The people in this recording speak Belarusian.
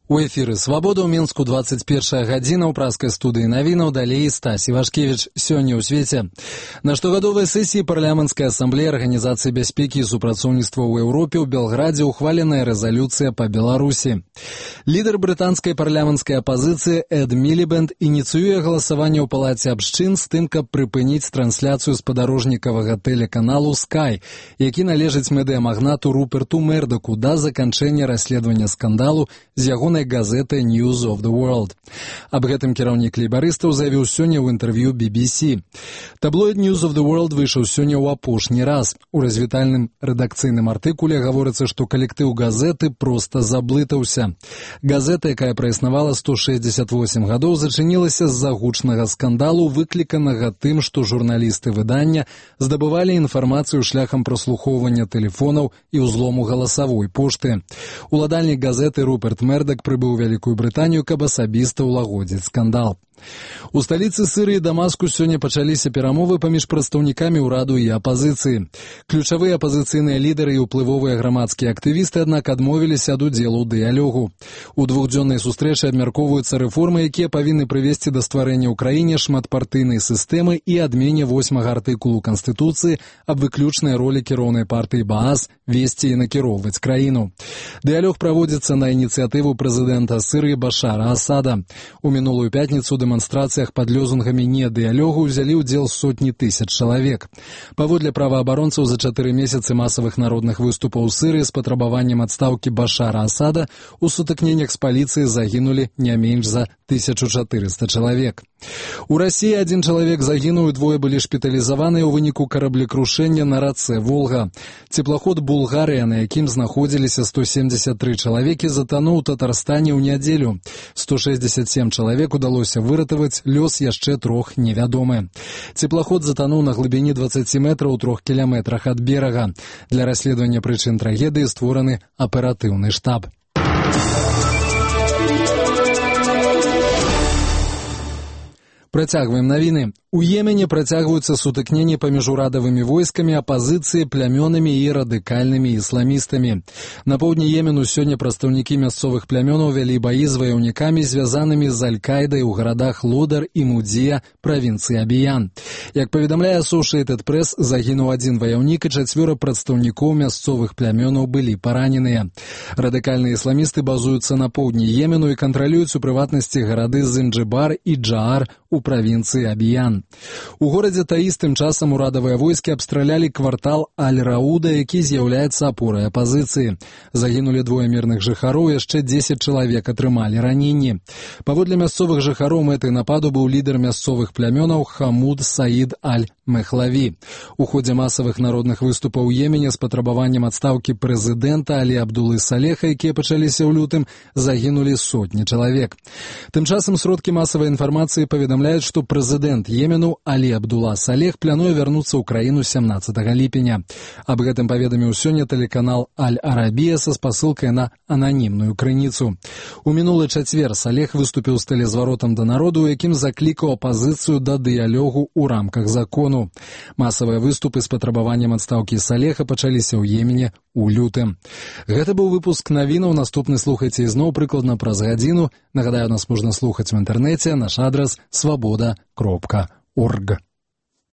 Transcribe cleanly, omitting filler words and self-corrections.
У эфіры «Свабода» ў Мінску 21 гадзіна ў праскай студыі навінаў, далей Стась Івашкевіч. Сёння ў свеце. На штогадовай сесіі парламенцкай асамблеі Арганізацыі бяспекі і супрацоўніцтва ў Еўропе ў Белградзе ухваленая рэзалюцыя па Беларусі. Лідар брытанскай парламенцкай апазіцыі Эд Мілібэнд ініцыюе галасаванне ў палаце абшчын з тым, каб прыпыніць трансляцыю спадарожнікавага тэлеканалу Sky, які належыць медыямагнату Руперту Мердаку да заканчэння расследавання скандалу з ягонай газеты News of the World. Аб гэтым кіраўнік лейбарыстаў заявіў сёння ў інтэрв'ю BBC. Таблоід News of the World выйшаў сёння ў апошні раз. У развітальным рэдакцыйным артыкуле гаворыцца, што калектыў газеты проста заблытаўся. Газета, якая праіснавала 168 гадоў, зачынілася з-за гучнага скандалу, выкліканага тым, што журналісты выдання здабывалі інфармацыю шляхам праслухоўвання тэлефонаў і ўзлому галасавой пошты. Уладальнік газеты Руперт Мердак прыбыў у Вялікую Брытанію, каб асабіста ўлагодзіць скандал. У сталіцы Сірыі Дамаску сёння пачаліся перамовы паміж прадстаўнікамі ўраду і апазіцыі. Ключавыя апазіцыйныя лідары і ўплывовыя грамадскія актывісты, аднак, адмовіліся ад удзелу ў дыялогу. У двухдзённай сустрэчы абмяркоўваюцца рэформы, якія павінны прывесці да стварэння ў краіне шматпартыйнай сістэмы і адмене 8-га артыкулу Канстытуцыі аб выключнай ролі кіроўнай партыі Баас весці і накіроўваць краіну. Дыялог праводзіцца на ініцыятыву прэзідэнта Сірыі Башара Асада. У мінулую пятніцу дэманстрацыях пад лёзунгамі недыялогу ўзялі ўдзел сотні тысяч чалавек. Паводле праваабаронцаў, за 4 месяцы масавых народных выступаў у Сірыі з патрабаваннем адстаўкі Башара Асада у сутыкненнях з паліцыяй загінулі не менш за 1400 чалавек. У Расіі 1 чалавек загінуў і 2 былі шпіталізаваныя ў выніку караблекрушэння на рацэ Волга. Цеплаход «Булгарыя», на якім знаходзіліся 173 чалавекі, затануў у Татарстане ў нядзелю. 167 чалавек удалося выратаваць, лёс яшчэ 3 невядомы. Цеплаход затануў на глыбіні 20 метраў у 3 кіламетрах ад берага. Для расследавання прычын трагедыі створаны аператыўны штаб. Працягваем навіны. У Йемене працягваюцца сутыкненні паміж урадавымі войскамі, апазіцыяй, плямёнамі і радыкальнымі ісламістамі. На поўдні Йемену сёння прадстаўнікі мясцовых плямёнаў вялі баі з ваяўнікамі, звязанымі з Аль-Кайдай у гарадах Лодар і Мудзія правінцыі Абіян. Як паведамляе Associated Press, загінуў 1 ваяўнік і 4 прадстаўнікоў мясцовых плямёнаў былі параненыя. Радыкальныя ісламісты базуюцца на поўдні Йемену і кантралююць у прыватнасці гарады Зинджибар і Джаар у правінцыі Абіян. У горадзе Таіз тым часам урадавыя войскі абстралялі квартал Аль-Рауда, які з'яўляецца апорай апазіцыі. Загінулі 2 мірных жыхароў, яшчэ 10 чалавек атрымалі раненні. Паводле мясцовых жыхароў, мэтай нападу быў лідар мясцовых плямёнаў Хамуд Саід Аль-Мехлаві. У ходзе масавых народных выступаў у Йемене з патрабаваннем адстаўкі прэзідэнта Алі Абдулы Салеха, якія пачаліся ў лютым, загінулі сотні чалавек. Тым часам сродкі масавай інфармацыі паведамляюць, што прэзідэнт Йемену Алі Абдула Салех плануе вярнуцца ў краіну 17 ліпеня. Аб гэтым паведаміў сёння тэлеканал Аль-Арабія са спасылкай на ананімную крыніцу. У мінулы чацвер Салех выступіў з тэлезваротам да народу, у якім заклікаў апазіцыю да дыялогу ў рамках закону. Масавыя выступы з патрабаваннем адстаўкі Салеха пачаліся ў Йемене у лютым. Гэта быў выпуск навінаў. Наступны слухайце ізноў прыкладна праз гадзіну. Нагадаю, нас можна слухаць в інтэрнэце. Наш адрас свабода.орг.